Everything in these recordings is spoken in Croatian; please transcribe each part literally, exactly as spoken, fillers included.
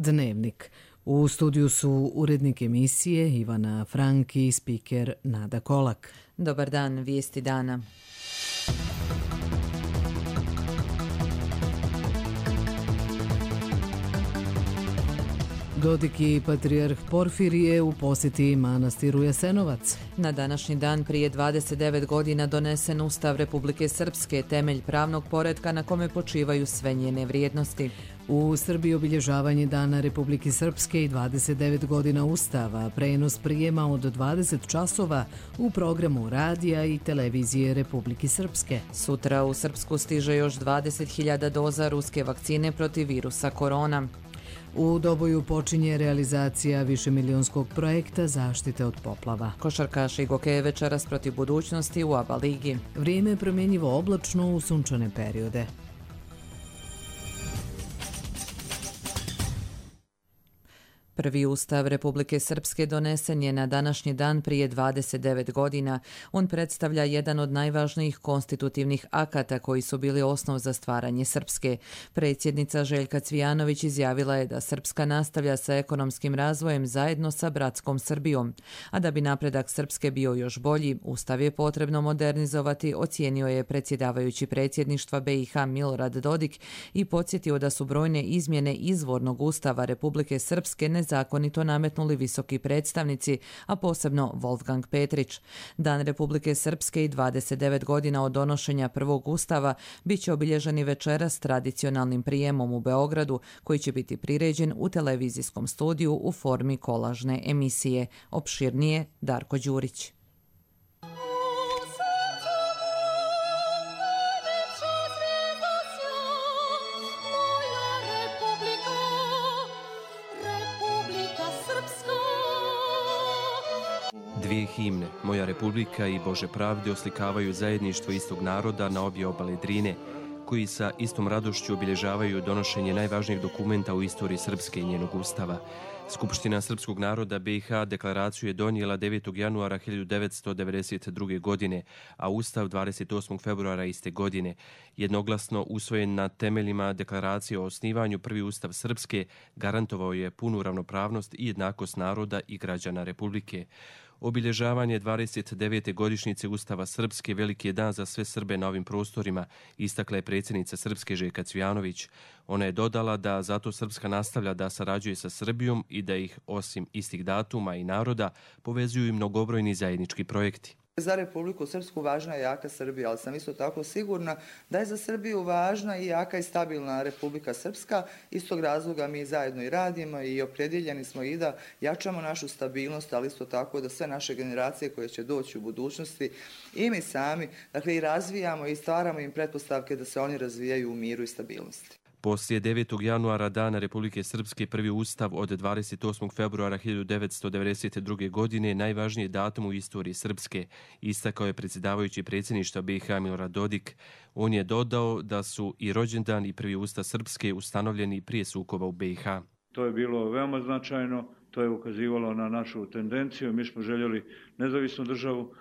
Dnevnik. U studiju su urednik emisije Ivana Frank i spiker Nada Kolak. Dobar dan, vijesti dana. Dodik i patrijarh Porfirije u posjeti manastiru Jasenovac. Na današnji dan prije dvadeset devet godina donesen Ustav Republike Srpske, temelj pravnog poretka na kome počivaju sve njene vrijednosti. U Srbiji obilježavanje Dana Republike Srpske i dvadeset devet godina Ustava, prenos prijema od dvadeset časova u programu radija i televizije Republike Srpske. Sutra u Srpsku stiže još dvadeset hiljada doza ruske vakcine protiv virusa korona. U Doboju počinje realizacija višemilionskog projekta zaštite od poplava. Košarkaši Gokeje večeras protiv Budućnosti u A B A ligi. Vrijeme je promjenjivo oblačno u sunčane periode. Prvi Ustav Republike Srpske donesen je na današnji dan prije dvadeset devet godina. On predstavlja jedan od najvažnijih konstitutivnih akata koji su bili osnov za stvaranje Srpske. Predsjednica Željka Cvijanović izjavila je da Srpska nastavlja sa ekonomskim razvojem zajedno sa bratskom Srbijom. A da bi napredak Srpske bio još bolji, Ustav je potrebno modernizovati, ocijenio je predsjedavajući predsjedništva B i H Milorad Dodik i podsjetio da su brojne izmjene izvornog Ustava Republike Srpske ne zakonito nametnuli visoki predstavnici, a posebno Wolfgang Petrić. Dan Republike Srpske i dvadeset devet godina od donošenja prvog ustava bit će obilježeni večeras tradicionalnim prijemom u Beogradu, koji će biti priređen u televizijskom studiju u formi kolažne emisije. Opširnije Darko Đurić. Dvije himne, Moja Republika i Bože pravde, oslikavaju zajedništvo istog naroda na obje obale Drine, koji sa istom radošću obilježavaju donošenje najvažnijeg dokumenta u istoriji Srpske i njenog ustava. Skupština srpskog naroda B i H deklaraciju je donijela devetog januara hiljadu devetsto devedeset druge. godine, a ustav dvadeset osmog februara iste godine. Jednoglasno usvojen na temeljima deklaracije o osnivanju, prvi ustav Srpske garantovao je punu ravnopravnost i jednakost naroda i građana Republike. Obilježavanje dvadeset devete godišnjice Ustava Srpske veliki je dan za sve Srbe na ovim prostorima, istakla je predsjednica Srpske Željka Cvijanović. Ona je dodala da zato Srpska nastavlja da sarađuje sa Srbijom i da ih, osim istih datuma i naroda, povezuju i mnogobrojni zajednički projekti. Za Republiku Srpsku važna je jaka Srbija, ali sam isto tako sigurna da je za Srbiju važna i jaka i stabilna Republika Srpska. Iz tog razloga mi zajedno i radimo i opredjeljeni smo i da jačamo našu stabilnost, ali isto tako da sve naše generacije koje će doći u budućnosti i mi sami, dakle, i razvijamo i stvaramo im pretpostavke da se oni razvijaju u miru i stabilnosti. Poslije devetog januara Dana Republike Srpske prvi ustav od dvadeset osmog februara hiljadu devetsto devedeset druge. godine najvažniji datum u istoriji Srpske, istakao je predsjedavajući predsjedništva B i H Milorad Dodik. On je dodao da su i rođendan i prvi ustav Srpske ustanovljeni prije sukoba u B i H. To je bilo veoma značajno, to je ukazivalo na našu tendenciju. Mi smo željeli nezavisnu državu,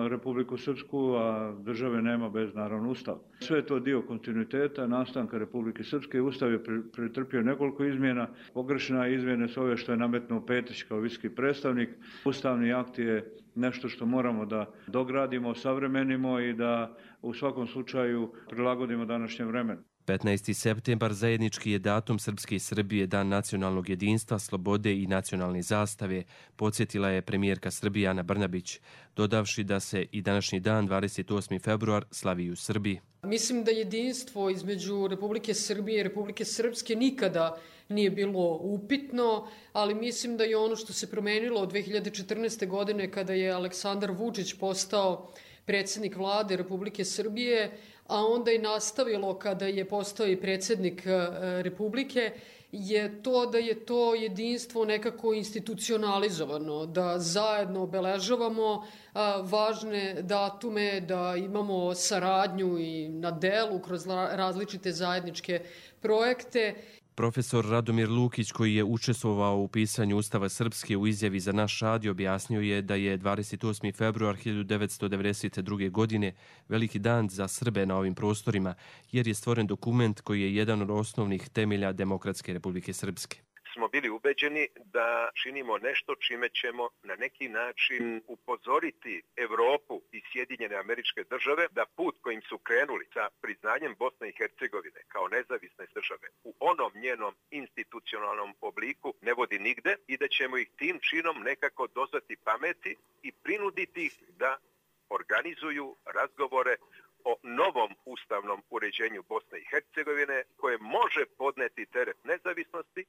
Republiku Srpsku, a države nema bez naravno ustav. Sve je to dio kontinuiteta nastanka Republike Srpske. Ustav je pretrpio nekoliko izmjena. Pogrešna izmjene su ove što je nametnuo Petić kao visoki predstavnik. Ustavni akt je nešto što moramo da dogradimo, savremenimo i da u svakom slučaju prilagodimo današnjem vremenu. petnaesti septembar zajednički je datum Srpske i Srbije, dan nacionalnog jedinstva, slobode i nacionalne zastave, podsjetila je premijerka Srbije Ana Brnabić, dodavši da se i današnji dan, dvadeset osmi februar, slavi u Srbiji. Mislim da jedinstvo između Republike Srbije i Republike Srpske nikada nije bilo upitno, ali mislim da je ono što se promenilo od dve hiljade četrnaeste. godine kada je Aleksandar Vučić postao predsjednik vlade Republike Srbije, a onda i nastavilo kada je postao i predsjednik Republike, je to da je to jedinstvo nekako institucionalizovano, da zajedno obeležavamo važne datume, da imamo saradnju i na delu kroz različite zajedničke projekte. Profesor Radomir Lukić, koji je učestvovao u pisanju Ustava Srpske, u izjavi za naš radio objasnio je da je dvadeset osmi februar hiljadu devetsto devedeset druge. godine veliki dan za Srbe na ovim prostorima, jer je stvoren dokument koji je jedan od osnovnih temelja Demokratske Republike Srpske. smo bili ubeđeni da činimo nešto čime ćemo na neki način upozoriti Evropu i Sjedinjene Američke Države da put kojim su krenuli sa priznanjem Bosne i Hercegovine kao nezavisne države u onom njenom institucionalnom obliku ne vodi nigde i da ćemo ih tim činom nekako dozvati pameti i prinuditi ih da organizuju razgovore o novom ustavnom uređenju Bosne i Hercegovine koje može podneti teret nezavisnosti.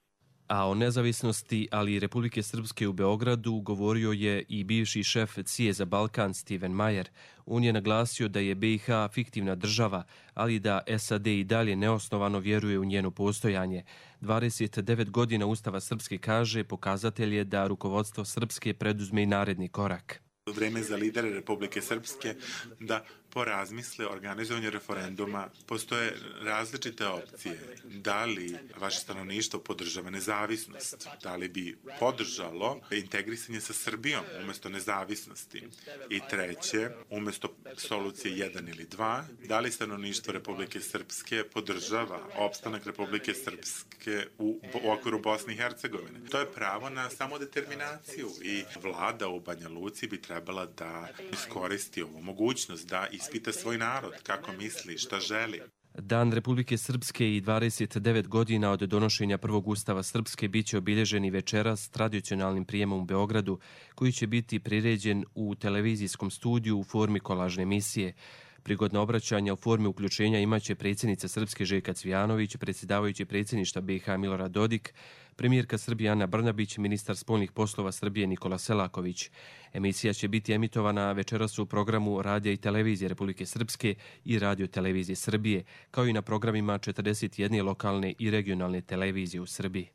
A o nezavisnosti, ali i Republike Srpske u Beogradu govorio je i bivši šef C I E za Balkan Steven Mayer. On je naglasio da je B i H fiktivna država, ali da S A D i dalje neosnovano vjeruje u njeno postojanje. dvadeset devet godina Ustava Srpske, kaže, pokazatelj je da rukovodstvo Srpske preduzme i naredni korak. Vreme za lidere Republike Srpske da porazmisle o organizovanju referenduma. Postoje različite opcije. Da li vaše stanovništvo podržava nezavisnost? Da li bi podržalo integrisanje sa Srbijom umjesto nezavisnosti? I treće, umjesto solucije jedan ili dva, da li stanovništvo Republike Srpske podržava opstanak Republike Srpske u, u okviru Bosne i Hercegovine? To je pravo na samodeterminaciju i vlada u Banja Luci bi trebala da iskoristi ovu mogućnost da ispita svoj narod, kako misli, šta želi. Dan Republike Srpske i dvadeset devet godina od donošenja prvog Ustava Srpske biće obilježeni večeras tradicionalnim prijemom u Beogradu, koji će biti priređen u televizijskom studiju u formi kolažne emisije. Prigodno obraćanja u formi uključenja imaće predsjednica Srpske Željka Cvijanović, predsjedavajući predsjedništva B i H Milorad Dodik, premijerka Srbije Ana Brnabić, ministar spoljnih poslova Srbije Nikola Selaković. Emisija će biti emitovana večeras u programu Radija i televizije Republike Srpske i Radio televizije Srbije, kao i na programima četrdeset jedne lokalne i regionalne televizije u Srbiji.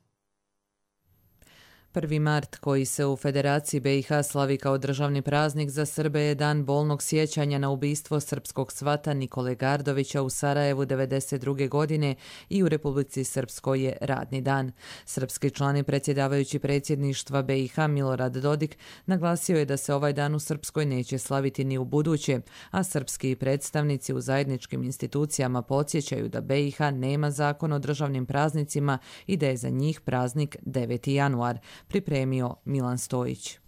prvi mart, koji se u Federaciji B i H slavi kao državni praznik za Srbe, je dan bolnog sjećanja na ubistvo srpskog svata Nikole Gardovića u Sarajevu devedeset druge godine i u Republici Srpskoj je radni dan. Srpski član i predsjedavajući predsjedništva B i H Milorad Dodik naglasio je da se ovaj dan u Srpskoj neće slaviti ni u buduće, a srpski predstavnici u zajedničkim institucijama podsjećaju da B i H nema zakon o državnim praznicima i da je za njih praznik deveti januar. Pripremio Milan Stojić.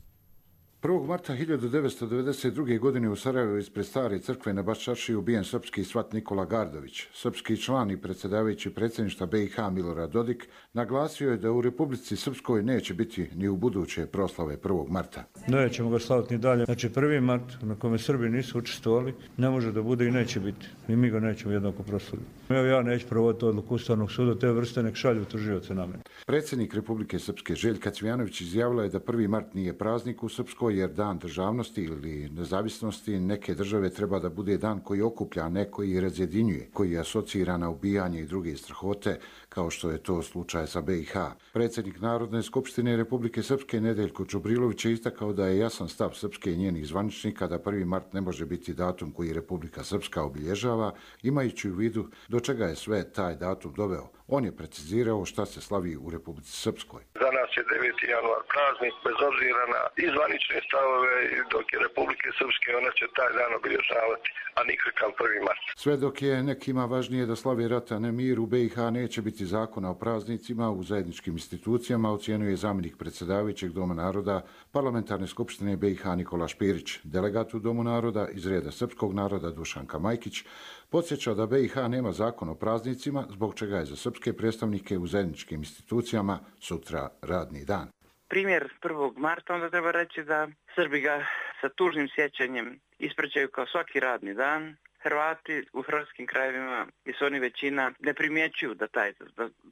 prvog marta hiljadu devetsto devedeset druge. godine u Sarajevu ispred stare crkve na Baščaršiji ubijen srpski svat Nikola Gardović. Srpski član i predsjedavajući predsjedništva B i H Milorad Dodik naglasio je da u Republici Srpskoj neće biti ni u buduće proslave prvog marta. Nećemo ga slaviti ni dalje. Znači prvi mart na kome Srbi nisu učestvovali ne može da bude i neće biti. I mi ga nećemo jednako proslaviti. Evo ja neću provoditi odluku Ustavnog suda, te vrste nek šalju tužioce na mene. Predsjednik Republike Srpske Željka Cvijanović izjavila je da prvi mart nije praznik u Srpskoj, jer dan državnosti ili nezavisnosti neke države treba da bude dan koji okuplja, ne koji razjedinjuje, koji asocira na ubijanje i druge strahote, kao što je to slučaj sa B i H. Predsjednik Narodne skupštine Republike Srpske Nedeljko Čubrilović je istakao da je jasan stav Srpske i njenih zvaničnika da prvi mart ne može biti datum koji Republika Srpska obilježava, imajući u vidu do čega je sve taj datum doveo. On je precizirao šta se slavi u Republici Srpskoj. Za nas je deveti januar praznik, bez obzira na izvanične stavove, dok je Republike Srpske, ona će taj dan obilježavati, a nikakav prvi mart. Sve dok je nekima važnije da slavi rata, ne mir, u B i H neće biti zakona o praznicima u zajedničkim institucijama, ocijenuje zamjenik predsjedavajućeg Doma naroda Parlamentarne skupštine B i H Nikola Špirić. Delegat u Domu naroda iz reda srpskog naroda Dušanka Majkić podsjeća da B i H nema zakon o praznicima, zbog čega je za srpske predstavnike u zajedničkim institucijama sutra radni dan. Primjer prvog marta, onda treba reći da Srbi ga sa tužnim sjećanjem ispraćaju kao svaki radni dan. Hrvati u hrvatskim krajevima i su oni većina ne primjećuju da taj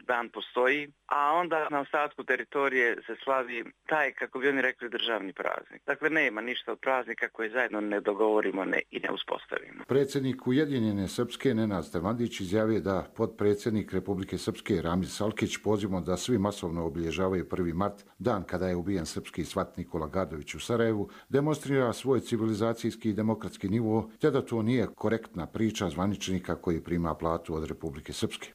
dan postoji, a onda na ostatku teritorije se slavi taj, kako bi oni rekli, državni praznik. Dakle, nema ništa od praznika koje zajedno ne dogovorimo ne, i ne uspostavimo. Predsjednik Ujedinjene Srpske Nenad Stevandić izjavio da potpredsjednik Republike Srpske Ramil Salkić pozivom da svi masovno obilježavaju prvi mart, dan kada je ubijen srpski svat Nikola Gardović u Sarajevu, demonstrira svoj civilizacijski i demokratski nivo, te da to nije korektna priča zvaničnika koji prima platu od Republike Srpske.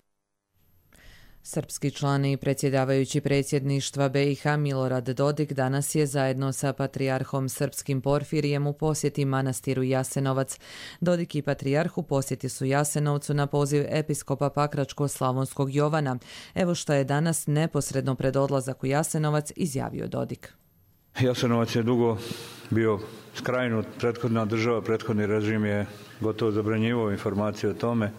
Srpski član i predsjedavajući predsjedništva B i H Milorad Dodik danas je zajedno sa patrijarhom srpskim Porfirijem u posjeti manastiru Jasenovac. Dodik i patrijarh u posjeti su Jasenovcu na poziv episkopa Pakračko-slavonskog Jovana. Evo što je danas neposredno pred odlazak u Jasenovac izjavio Dodik. Jasenovac je dugo bio skrajnut, prethodna država, prethodni režim je gotovo zabranjivao informacije o tome.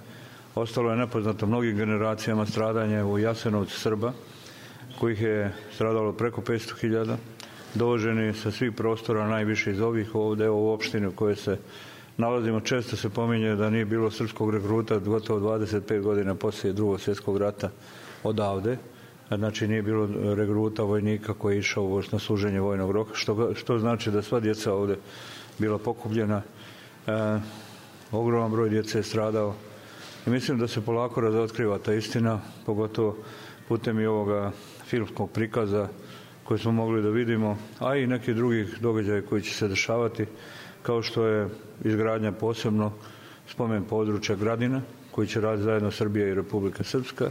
Ostalo je nepoznato mnogim generacijama stradanje u Jasenovcu Srba, kojih je stradalo preko petsto hiljada, dovoženi sa svih prostora, najviše iz ovih ovdje u opštini u kojoj se nalazimo. Često se pominje da nije bilo srpskog regruta gotovo dvadeset pet godina poslije drugog svjetskog rata odavde. Znači nije bilo regruta vojnika koji je išao na služenje vojnog roka, što, što znači da sva djeca ovdje bila pokupljena. E, ogroman broj djece je stradao. I mislim da se polako razotkriva ta istina, pogotovo putem i ovoga filmskog prikaza koji smo mogli da vidimo, a i nekih drugih događaja koji će se dešavati, kao što je izgradnja posebno spomen područja Gradina, koji će raditi zajedno Srbija i Republika Srpska,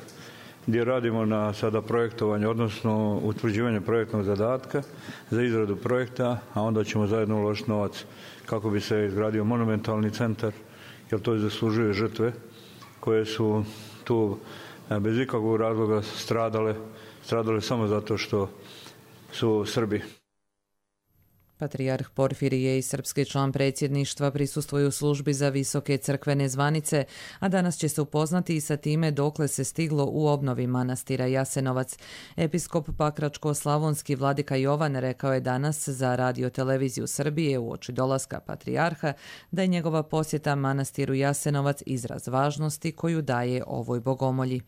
gdje radimo na sada projektovanje, odnosno utvrđivanje projektnog zadatka za izradu projekta, a onda ćemo zajedno uložiti novac kako bi se izgradio monumentalni centar, jer to zaslužuje žrtve koje su tu bez ikakvog razloga stradale, stradale samo zato što su Srbi. Patrijarh Porfirije i srpski član predsjedništva prisustvuju službi za visoke crkvene zvanice, a danas će se upoznati i sa time dokle se stiglo u obnovi manastira Jasenovac. Episkop Pakračko-slavonski vladika Jovan rekao je danas za Radio televiziju Srbije uoči dolaska patrijarha da je njegova posjeta manastiru Jasenovac izraz važnosti koju daje ovoj bogomolji.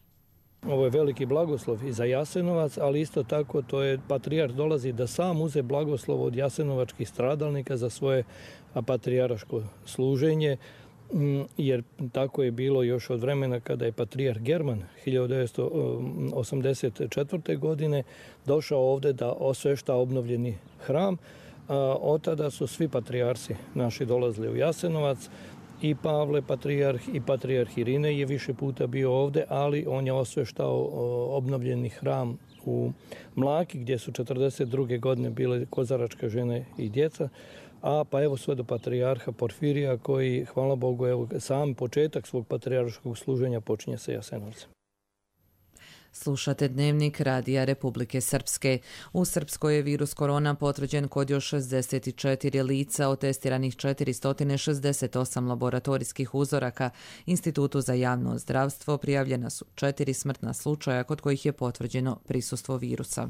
Ovo je veliki blagoslov i za Jasenovac, ali isto tako to je patrijarh dolazi da sam uze blagoslov od jasenovačkih stradalnika za svoje patrijarško služenje, jer tako je bilo još od vremena kada je patrijarh German hiljadu devetsto osamdeset četvrte. godine došao ovdje da osvešta obnovljeni hram. Od tada su svi patrijarsi naši dolazili u Jasenovac. I Pavle patrijarh i patrijarh Irinej je više puta bio ovdje, ali on je osveštao obnovljeni hram u Mlaki, gdje su četrdeset druge. godine bile kozaračke žene i djeca, a pa evo sve do patrijarha Porfirija koji, hvala Bogu, evo sam početak svog patrijarškog služenja počinje sa Jasenovcem. Slušate Dnevnik Radija Republike Srpske. U Srpskoj je virus korona potvrđen kod još šezdeset četiri lica, od testiranih četiristo šezdeset osam laboratorijskih uzoraka. Institutu za javno zdravstvo prijavljena su četiri smrtna slučaja kod kojih je potvrđeno prisustvo virusa.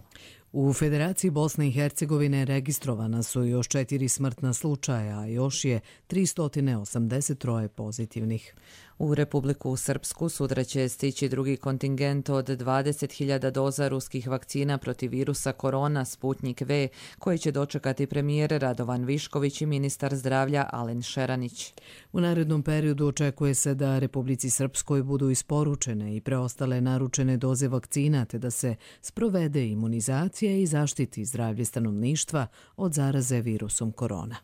U Federaciji Bosne i Hercegovine registrovana su još četiri smrtna slučaja, a još je tristo osamdeset tri pozitivnih. U Republiku Srpsku sutra će stići drugi kontingent od dvadeset hiljada doza ruskih vakcina protiv virusa korona Sputnik V, koji će dočekati premijer Radovan Višković i ministar zdravlja Alen Šeranić. U narednom periodu očekuje se da Republici Srpskoj budu isporučene i preostale naručene doze vakcina, te da se sprovede imunizacija i zaštiti zdravlje stanovništva od zaraze virusom korona.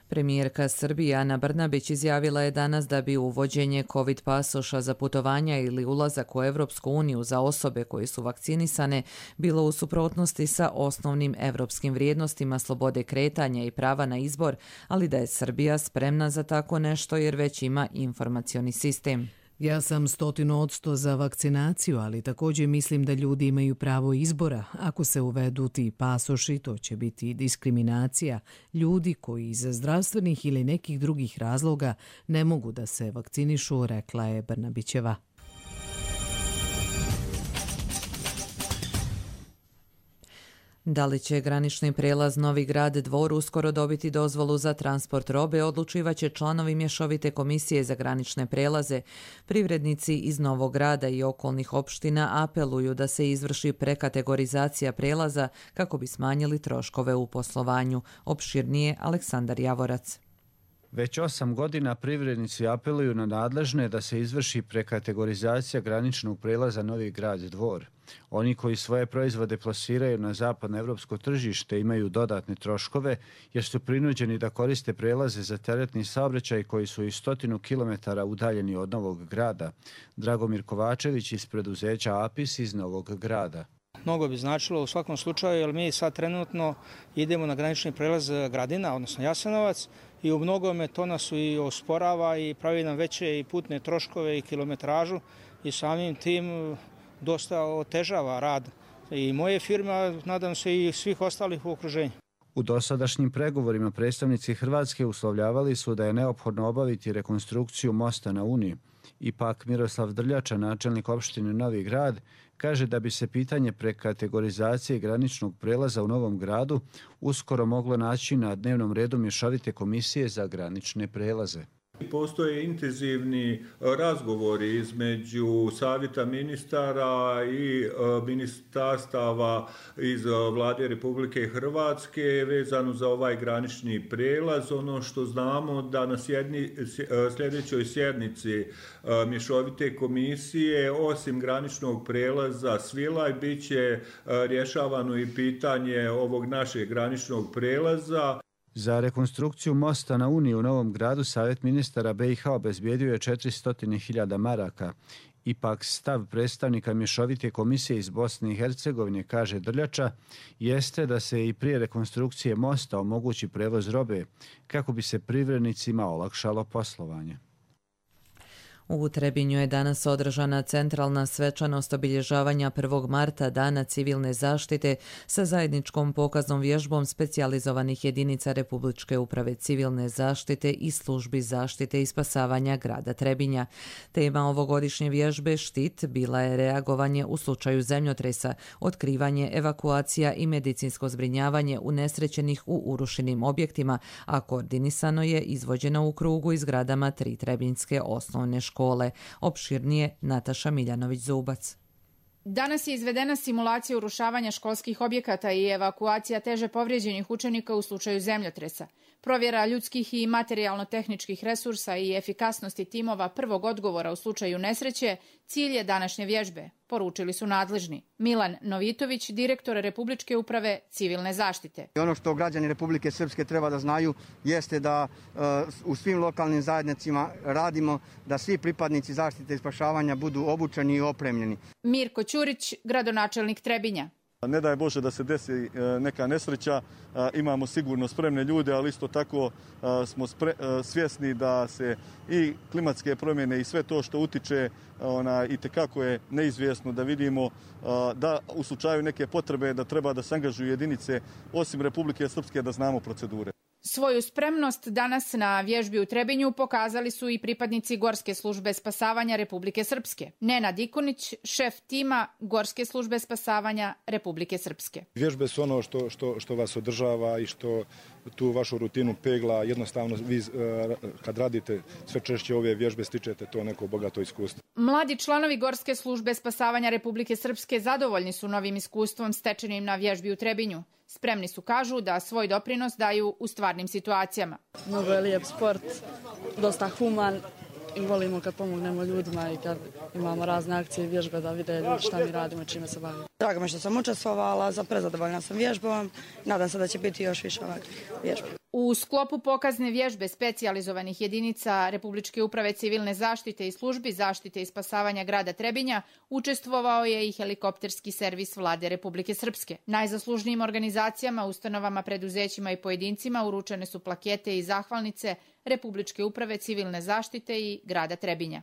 Premijerka Srbije Ana Brnabić izjavila je danas da bi uvođenje COVID pasoša za putovanja ili ulazak u Evropsku uniju za osobe koje su vakcinisane bilo u suprotnosti sa osnovnim evropskim vrijednostima slobode kretanja i prava na izbor, ali da je Srbija spremna za tako nešto jer već ima informacioni sistem. Ja sam stotinu odsto za vakcinaciju, ali također mislim da ljudi imaju pravo izbora. Ako se uvedu ti pasoši, to će biti diskriminacija ljudi koji iz zdravstvenih ili nekih drugih razloga ne mogu da se vakcinišu, rekla je Brnabićeva. Da li će granični prijelaz Novi Grad Dvor uskoro dobiti dozvolu za transport robe, odlučivaće članovi mješovite komisije za granične prelaze. Privrednici iz Novog Grada i okolnih opština apeluju da se izvrši prekategorizacija prelaza kako bi smanjili troškove u poslovanju. Opširnije Aleksandar Javorac. Već osam godina privrednici apeluju na nadležne da se izvrši prekategorizacija graničnog prelaza Novi Grad Dvor. Oni koji svoje proizvode plasiraju na zapadno evropsko tržište imaju dodatne troškove jer su prinuđeni da koriste prelaze za teretni saobraćaj koji su i stotinu kilometara udaljeni od Novog Grada. Dragomir Kovačević iz preduzeća Apis iz Novog Grada. Mnogo bi značilo u svakom slučaju, jer mi sad trenutno idemo na granični prelaz Gradina, odnosno Jasenovac, i u mnogome to nas i osporava i pravi nam veće i putne troškove i kilometražu i samim tim dosta otežava rad i moje firme, a nadam se i svih ostalih u okruženju. U dosadašnjim pregovorima predstavnici Hrvatske uslovljavali su da je neophodno obaviti rekonstrukciju mosta na Uni. Ipak Miroslav Drljača, načelnik opštine Novi Grad, kaže da bi se pitanje prekategorizacije graničnog prelaza u Novom Gradu uskoro moglo naći na dnevnom redu mješovite komisije za granične prelaze. Postoje intenzivni razgovori između savjeta ministara i ministarstava iz Vlade Republike Hrvatske vezano za ovaj granični prelaz. Ono što znamo da na sjedni, sljedećoj sjednici mješovite komisije osim graničnog prelaza Svilaj bit će rješavano i pitanje ovog našeg graničnog prelaza. Za rekonstrukciju mosta na Uni u Novom Gradu Savjet ministara B i H obezbijedio je četiristo hiljada maraka. Ipak stav predstavnika mješovite komisije iz Bosne i Hercegovine, kaže Drljača, jeste da se i prije rekonstrukcije mosta omogući prevoz robe kako bi se privrednicima olakšalo poslovanje. U Trebinju je danas održana centralna svečanost obilježavanja prvog marta Dana civilne zaštite sa zajedničkom pokaznom vježbom specijalizovanih jedinica Republičke uprave civilne zaštite i službi zaštite i spasavanja grada Trebinja. Tema ovogodišnje vježbe Štit bila je reagovanje u slučaju zemljotresa, otkrivanje, evakuacija i medicinsko zbrinjavanje unesrećenih u urušenim objektima, a koordinisano je izvođeno u krugu i zgradama tri trebinjske osnovne škole. škole. Opširnije Nataša Miljanović-Zubac. Danas je izvedena simulacija urušavanja školskih objekata i evakuacija teže povrijeđenih učenika u slučaju zemljotresa. Provjera ljudskih i materijalno-tehničkih resursa i efikasnosti timova prvog odgovora u slučaju nesreće cilj je današnje vježbe, poručili su nadležni. Milan Novitović, direktor Republičke uprave civilne zaštite. Ono što građani Republike Srpske treba da znaju jeste da uh, u svim lokalnim zajednicama radimo da svi pripadnici zaštite i spašavanja budu obučeni i opremljeni. Mirko Ćurić, gradonačelnik Trebinja. Ne daj Bože da se desi neka nesreća, imamo sigurno spremne ljude, ali isto tako smo spre, svjesni da se i klimatske promjene i sve to što utiče ona, i tekako je neizvjesno da vidimo da u slučaju neke potrebe da treba da se angažuju jedinice osim Republike Srpske da znamo procedure. Svoju spremnost danas na vježbi u Trebinju pokazali su i pripadnici Gorske službe spasavanja Republike Srpske. Nenad Ikonić, šef tima Gorske službe spasavanja Republike Srpske. Vježbe su ono što, što, što vas održava i što tu vašu rutinu pegla. Jednostavno, vi kad radite sve češće ove vježbe stičete to neko bogato iskustvo. Mladi članovi Gorske službe spasavanja Republike Srpske zadovoljni su novim iskustvom stečenim na vježbi u Trebinju. Spremni su, kažu, da svoj doprinos daju u stvarnim situacijama. Mnogo je lijep sport, dosta human i volimo kad pomognemo ljudima i kad imamo razne akcije i vježbe da vide ljudi šta mi radimo, čime se bavimo. Drago mi što sam učestvovala, za prezadovoljna sam vježbom, nadam se da će biti još više ovakvih vježbi. U sklopu pokazne vježbe specijalizovanih jedinica Republičke uprave civilne zaštite i službi zaštite i spasavanja grada Trebinja učestvovao je i helikopterski servis Vlade Republike Srpske. Najzaslužnijim organizacijama, ustanovama, preduzećima i pojedincima uručene su plakete i zahvalnice Republičke uprave civilne zaštite i grada Trebinja.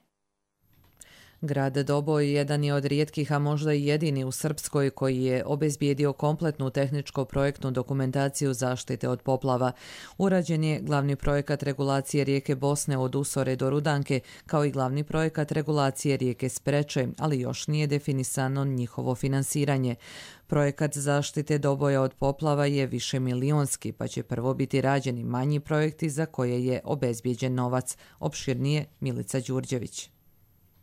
Grad Doboj jedan je od rijetkih, a možda i jedini u Srpskoj koji je obezbijedio kompletnu tehničko-projektnu dokumentaciju zaštite od poplava. Urađen je glavni projekat regulacije rijeke Bosne od Usore do Rudanke, kao i glavni projekat regulacije rijeke Spreče, ali još nije definisano njihovo finansiranje. Projekat zaštite Doboja od poplava je višemilionski, pa će prvo biti rađeni manji projekti za koje je obezbijeđen novac. Opširnije Milica Đurđević.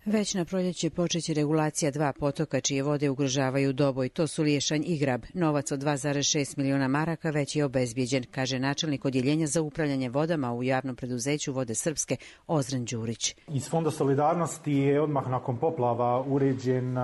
Već na proljeće počeće regulacija dva potoka čije vode ugrožavaju Doboj. To su Liješanj i Grab. Novac od dva zarez šest miliona maraka već je obezbijeđen, kaže načelnik odjeljenja za upravljanje vodama u javnom preduzeću Vode Srpske Ozren Đurić. Iz Fonda solidarnosti je odmah nakon poplava uređen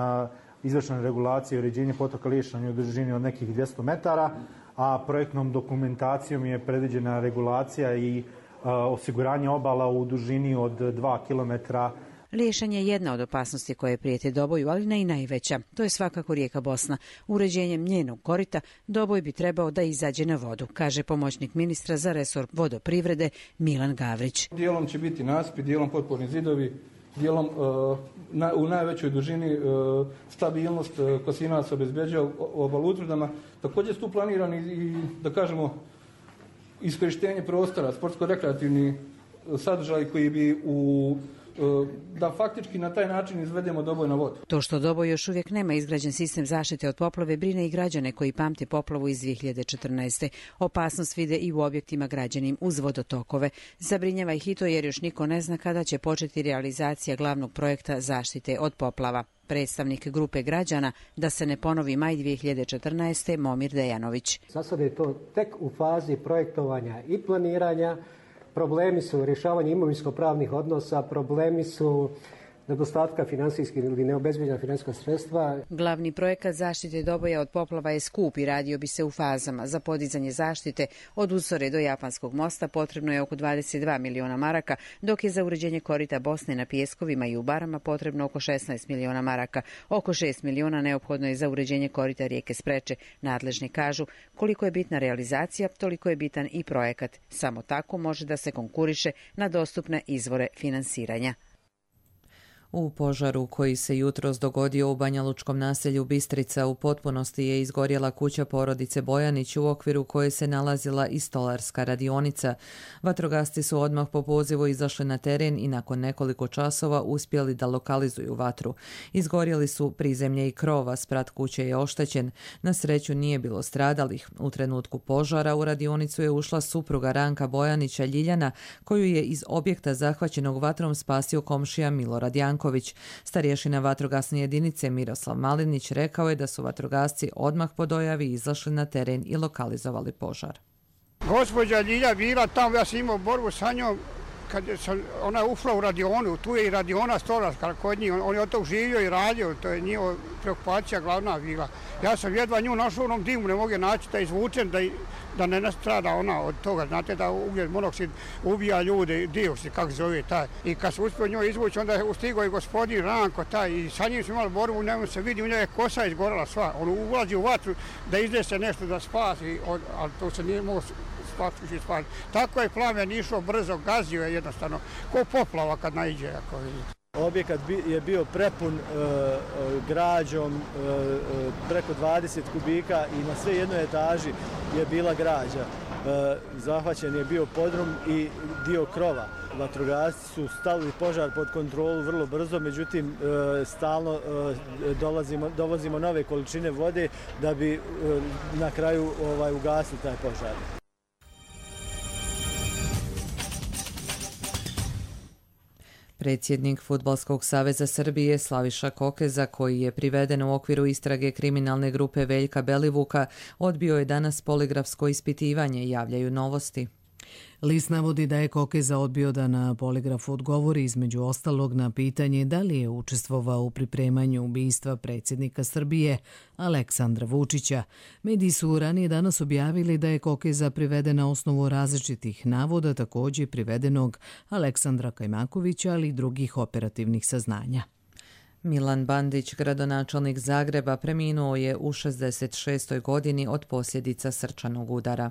izvršena regulacija i uređenje potoka Liješanja u dužini od nekih dvjesto metara, a projektnom dokumentacijom je predviđena regulacija i osiguranje obala u dužini od dva kilometra. Liješanje je jedna od opasnosti koje prijete Doboju, ali ne i najveća. To je svakako rijeka Bosna. Uređenjem njenog korita Doboj bi trebao da izađe na vodu, kaže pomoćnik ministra za resor vodoprivrede Milan Gavrić. Dijelom će biti nasipi, dijelom potporni zidovi, dijelom uh, na, u najvećoj dužini uh, stabilnost uh, Kosinac obezbeđuje obal utvrdama. Također su tu planirani i, da kažemo, iskorištenje prostora, sportsko-rekreativni sadržaj koji bi u da faktički na taj način izvedemo Doboj na vodu. To što Doboj još uvijek nema izgrađen sistem zaštite od poplave brine i građane koji pamte poplavu iz dvije hiljade četrnaeste. Opasnost vide i u objektima građenim uz vodotokove. Zabrinjava ih i to jer još niko ne zna kada će početi realizacija glavnog projekta zaštite od poplava. Predstavnik grupe građana Da se ne ponovi maj dvije hiljade četrnaeste Momir Dejanović. Za sada je to tek u fazi projektovanja i planiranja. Problemi su rješavanje imovinsko-pravnih odnosa, problemi su nedostatka finansijskih ili neobezbijeđena financijska sredstva. Glavni projekat zaštite Doboja od poplava je skup i radio bi se u fazama. Za podizanje zaštite od Usore do Japanskog mosta potrebno je oko dvadeset dva miliona maraka, dok je za uređenje korita Bosne na Pijeskovima i u Barama potrebno oko šesnaest miliona maraka. Oko šest miliona neophodno je za uređenje korita rijeke Spreče. Nadležni kažu koliko je bitna realizacija, toliko je bitan i projekat. Samo tako može da se konkuriše na dostupne izvore finansiranja. U požaru koji se jutros dogodio u banjalučkom naselju Bistrica u potpunosti je izgorjela kuća porodice Bojanić u okviru koje se nalazila i stolarska radionica. Vatrogasci su odmah po pozivu izašli na teren i nakon nekoliko časova uspjeli da lokalizuju vatru. Izgorjeli su prizemlje i krova, sprat kuće je oštećen. Na sreću nije bilo stradalih. U trenutku požara u radionicu je ušla supruga Ranka Bojanića Ljiljana, koju je iz objekta zahvaćenog vatrom spasio komšija Milorad Janković. Starješina vatrogasne jedinice Miroslav Malinić rekao je da su vatrogasci odmah po dojavi izašli na teren i lokalizovali požar. Gospođa Ljilja bila tamo, ja sam imao borbu sa njom, kad sam, ona je ušla u radionu, tu je i radiona stolarska kod njih, on je od tog živio i radio, to je njihova preokupacija glavna bila. Ja sam jedva nju našao u onom dimu, ne mogu naći da izvučem, da, da ne nastrada ona od toga. Znate da ugljen monoksid ubija ljude, dioksid, kako zove taj. I kad se uspio njoj izvući, onda je ustigao i gospodin Ranko taj i sa njim smo imali borbu, njemu se vidi, u njoj je kosa izgorala sva. On ulazi u vatru da iznese nešto da spasi, ali to se nije mogo spasiti. Tako je plamen išao brzo, gazio je jednostavno, ko poplava kad naiđe, ako vidite. Objekat je bio prepun e, građom, e, preko dvadeset kubika i na sve jednoj etaži je bila građa. E, zahvaćen je bio podrum i dio krova. Vatrogasci su stavili požar pod kontrolu vrlo brzo, međutim e, stalno e, dolazimo, dovozimo nove količine vode da bi e, na kraju ovaj, ugasili taj požar. Predsjednik Fudbalskog saveza Srbije Slaviša Kokeza, koji je priveden u okviru istrage kriminalne grupe Veljka Belivuka, odbio je danas poligrafsko ispitivanje, javljaju Novosti. List navodi da je Kokeza odbio da na poligrafu odgovori između ostalog na pitanje da li je učestvovao u pripremanju ubistva predsjednika Srbije Aleksandra Vučića. Mediji su ranije danas objavili da je Kokeza priveden na osnovu različitih navoda, također privedenog Aleksandra Kajmakovića, ali i drugih operativnih saznanja. Milan Bandić, gradonačelnik Zagreba, preminuo je u šezdeset šestoj godini od posljedica srčanog udara.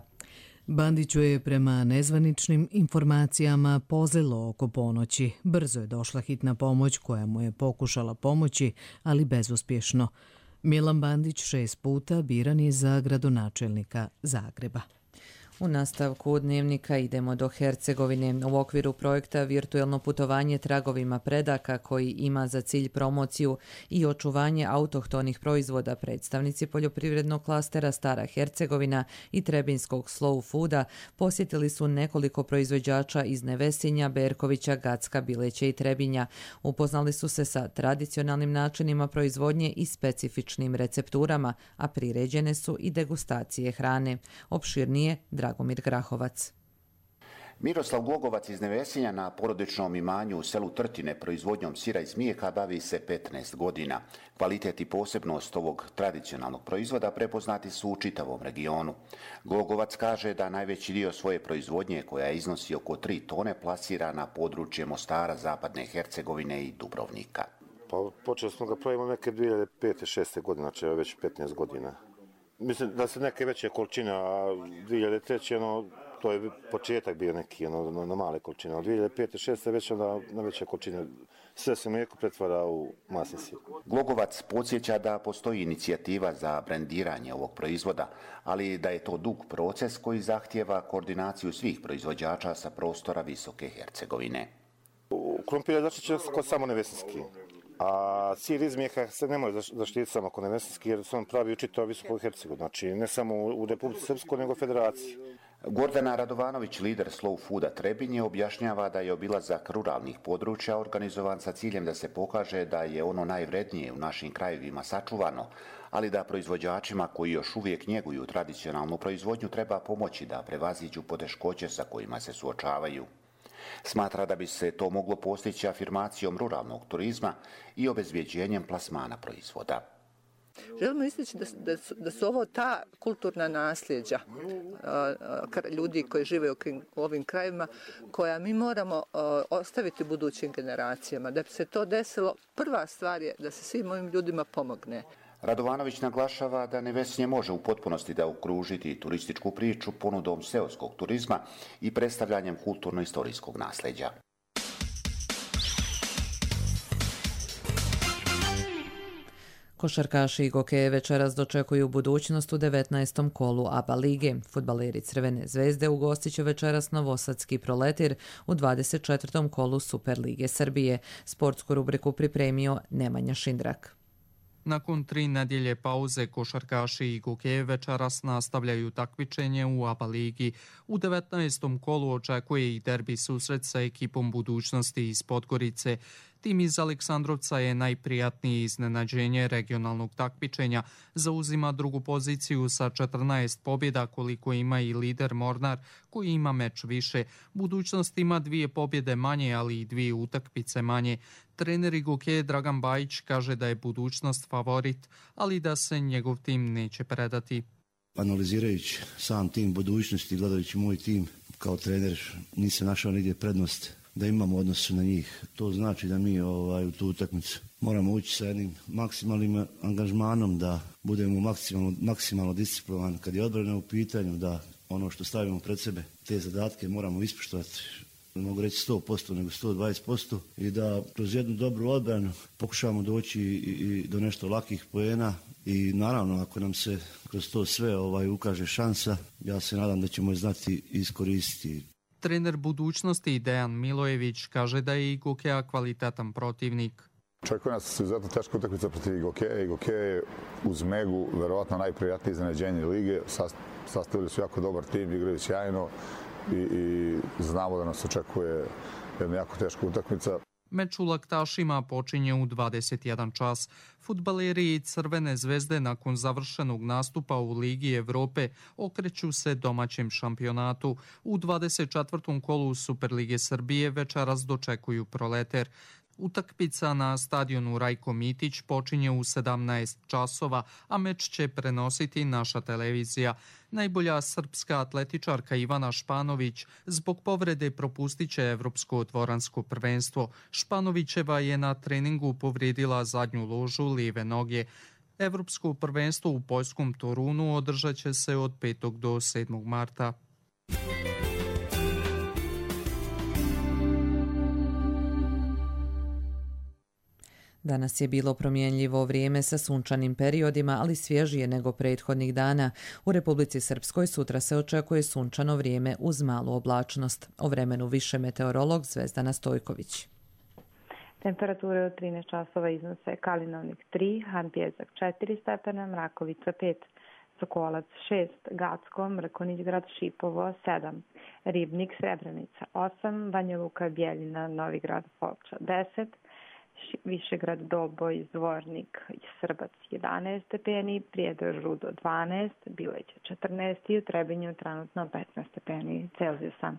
Bandiću je prema nezvaničnim informacijama pozlilo oko ponoći. Brzo je došla hitna pomoć koja mu je pokušala pomoći, ali bezuspješno. Milan Bandić šest puta biran je za gradonačelnika Zagreba. U nastavku dnevnika idemo do Hercegovine. U okviru projekta Virtuelno putovanje tragovima predaka, koji ima za cilj promociju i očuvanje autohtonih proizvoda, predstavnici poljoprivrednog klastera Stara Hercegovina i Trebinskog Slow Fooda posjetili su nekoliko proizvođača iz Nevesinja, Berkovića, Gacka, Bileća i Trebinja. Upoznali su se sa tradicionalnim načinima proizvodnje i specifičnim recepturama, a priređene su i degustacije hrane. Opširnije Dragomir Grahovac. Miroslav Glogovac iz Nevesinja na porodičnom imanju u selu Trtine proizvodnjom sira iz mlijeka bavi se petnaest godina. Kvalitet i posebnost ovog tradicionalnog proizvoda prepoznati su u čitavom regionu. Glogovac kaže da najveći dio svoje proizvodnje, koja iznosi oko tri tone, plasira na područje Mostara, Zapadne Hercegovine i Dubrovnika. Pa počeli smo ga pravimo neke dvije hiljade pete šeste godine, znači već petnaest godina. Mislim da se neke veće količine, a dvije hiljade treće ono, to je početak bio neki ono, na, na male količine, a dvije hiljade pete šeste već onda na veće količine. Sve se mlijeko pretvara u masni sir. Glogovac podsjeća da postoji inicijativa za brendiranje ovog proizvoda, ali da je to dug proces koji zahtijeva koordinaciju svih proizvođača sa prostora Visoke Hercegovine. Krompir je zaštićen kod samo Nevesinski, a sir iz mlijeka se ne može zaštititi samo kod Nevesinski jer se on pravi u čitavoj Visokoj Hercegovini, znači ne samo u Republici Srpskoj nego u Federaciji. Gordana Radovanović, lider Slow Fooda Trebinje, objašnjava da je obilazak ruralnih područja organizovan sa ciljem da se pokaže da je ono najvrednije u našim krajevima sačuvano, ali da proizvođačima koji još uvijek njeguju tradicionalnu proizvodnju treba pomoći da prevaziđu poteškoće sa kojima se suočavaju. Smatra da bi se to moglo postići afirmacijom ruralnog turizma i obezbjeđenjem plasmana proizvoda. Želimo istići da, da, da su ovo ta kulturna nasljeđa ljudi koji žive u ovim krajevima koja mi moramo ostaviti budućim generacijama. Da bi se to desilo, prva stvar je da se svim ovim ljudima pomogne. Radovanović naglašava da Nevesinje može u potpunosti da okružiti turističku priču ponudom seoskog turizma i predstavljanjem kulturno-istorijskog nasljeđa. Košarkaši Gokeje večeras dočekuju budućnost u devetnaestom kolu A B A lige. Fudbaleri Crvene zvezde ugostit će večeras Novosadski Proletir u dvadeset četvrtom kolu Super lige Srbije. Sportsku rubriku pripremio Nemanja Šindrak. Nakon tri nedjelje pauze, košarkaši i Gokeje večeras nastavljaju takmičenje u A B A ligi. U devetnaestom kolu očekuje i derbi susret sa ekipom budućnosti iz Podgorice. Tim iz Aleksandrovca je najprijatnije iznenađenje regionalnog takmičenja. Zauzima drugu poziciju sa četrnaest pobjeda koliko ima i lider Mornar koji ima meč više. Budućnost ima dvije pobjede manje, ali i dvije utakmice manje. Trener Gokeje Dragan Bajić kaže da je budućnost favorit, ali da se njegov tim neće predati. Analizirajući sam tim budućnosti, gledajući moj tim kao trener, nisam našao nigdje prednost da imamo odnos na njih. To znači da mi ovaj, u tu utakmicu moramo ući sa jednim maksimalnim angažmanom, da budemo maksimalno, maksimalno disciplinovani kad je odbrana u pitanju, da ono što stavimo pred sebe, te zadatke moramo ispoštovati. Ne mogu reći sto posto, nego sto dvadeset posto i da kroz jednu dobru odbranu pokušavamo doći i, i do nešto lakih poena i naravno ako nam se kroz to sve ovaj, ukaže šansa, ja se nadam da ćemo je znati iskoristiti. Trener budućnosti Dejan Milojević kaže da je i Gokeja kvalitetan protivnik. Očekuje nas izuzetno teška utakmica protiv Gokeja i Gokeja je uz Megu verovatno najprijatnije iznenađenje lige. Sastavili su jako dobar tim, igraju sjajno i, i znamo da nas očekuje jedna jako teška utakmica. Meč u Laktašima počinje u dvadeset jedan čas. Fudbaleri Crvene zvezde nakon završenog nastupa u Ligi Evrope okreću se domaćem šampionatu. U dvadeset četvrtom kolu Super lige Srbije večeras dočekuju Proleter. Utakmica na stadionu Rajko Mitić počinje u sedamnaest časova, a meč će prenositi naša televizija. Najbolja srpska atletičarka Ivana Španović zbog povrede propustit će Evropsko dvoransko prvenstvo. Španovićeva je na treningu povrijedila zadnju ložu lijeve noge. Evropsko prvenstvo u poljskom Torunu održat će se od petog do sedmog marta. Danas je bilo promjenljivo vrijeme sa sunčanim periodima, ali svježije nego prethodnih dana. U Republici Srpskoj sutra se očekuje sunčano vrijeme uz malu oblačnost. O vremenu više meteorolog Zvezdana Stojković. Temperature od trinaest časova iznose Kalinovnik tri, Hanpjezak četiri stepena, Mrakovica pet, Sokolac šest, Gacko, Mrkonić grad Šipovo sedam, Ribnik Srebrenica osam, Banja Luka Bjeljina, Novigrad Foča deset, Višegrad Doboj, Zvornik i Srbac jedanaest stepeni, Prijedor Rudo dvanaest, Bileće četrnaest i u Trebinju trenutno petnaest stepeni Celzijusa.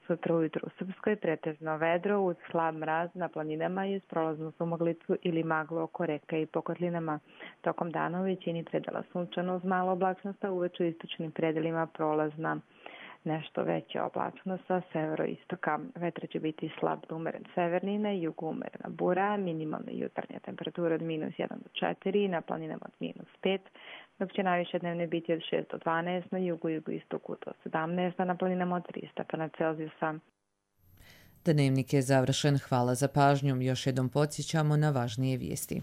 Sutra ujutro u Srpskoj pretežno vedro uz slab mraz na planinama i uz prolaznu sumaglicu ili maglu oko reka i po kotlinama. Tokom dana u većini predela sunčano uz malo oblačnost, a uveč u istočnim predelima prolazna nešto veća oblačnost sa severoistoka. Vetar će biti slab do umeren severni, na jugu umerena bura, minimalna jutarnja temperatura od minus jedan do četiri, na planinama od minus pet, dok će najviše dnevne biti od šest do dvanaest, na jugu i jugoistoku do sedamnaest, a na planinama od tri stepena Celzijusa. Dnevnik je završen. Hvala za pažnju. Još jednom podsjećamo na važnije vijesti.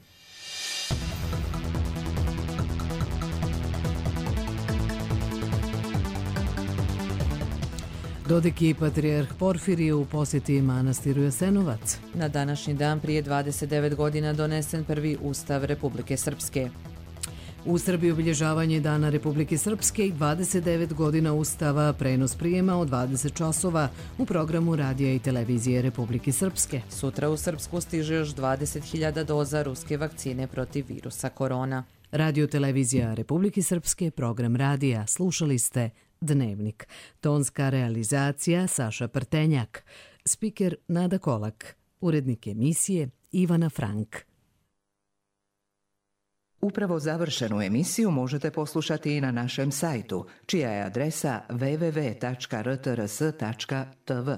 Dodik i patrijarh Porfirije u posjeti manastiru Jasenovac. Na današnji dan prije dvadeset devet godina donesen prvi Ustav Republike Srpske. U Srbiji obilježavanje Dana Republike Srpske i dvadeset devet godina Ustava, prenos prijema od dvadeset časova u programu radija i televizije Republike Srpske. Sutra u Srpsku stiže još dvadeset hiljada doza ruske vakcine protiv virusa korona. Radio televizija Republike Srpske, program radija. Slušali ste Dnevnik. Tonska realizacija Saša Prtenjak. Spiker Nada Kolak. Urednik emisije Ivana Frank. Upravo završenu emisiju možete poslušati i na našem sajtu, čija je adresa w w w tačka r t r s tačka t v.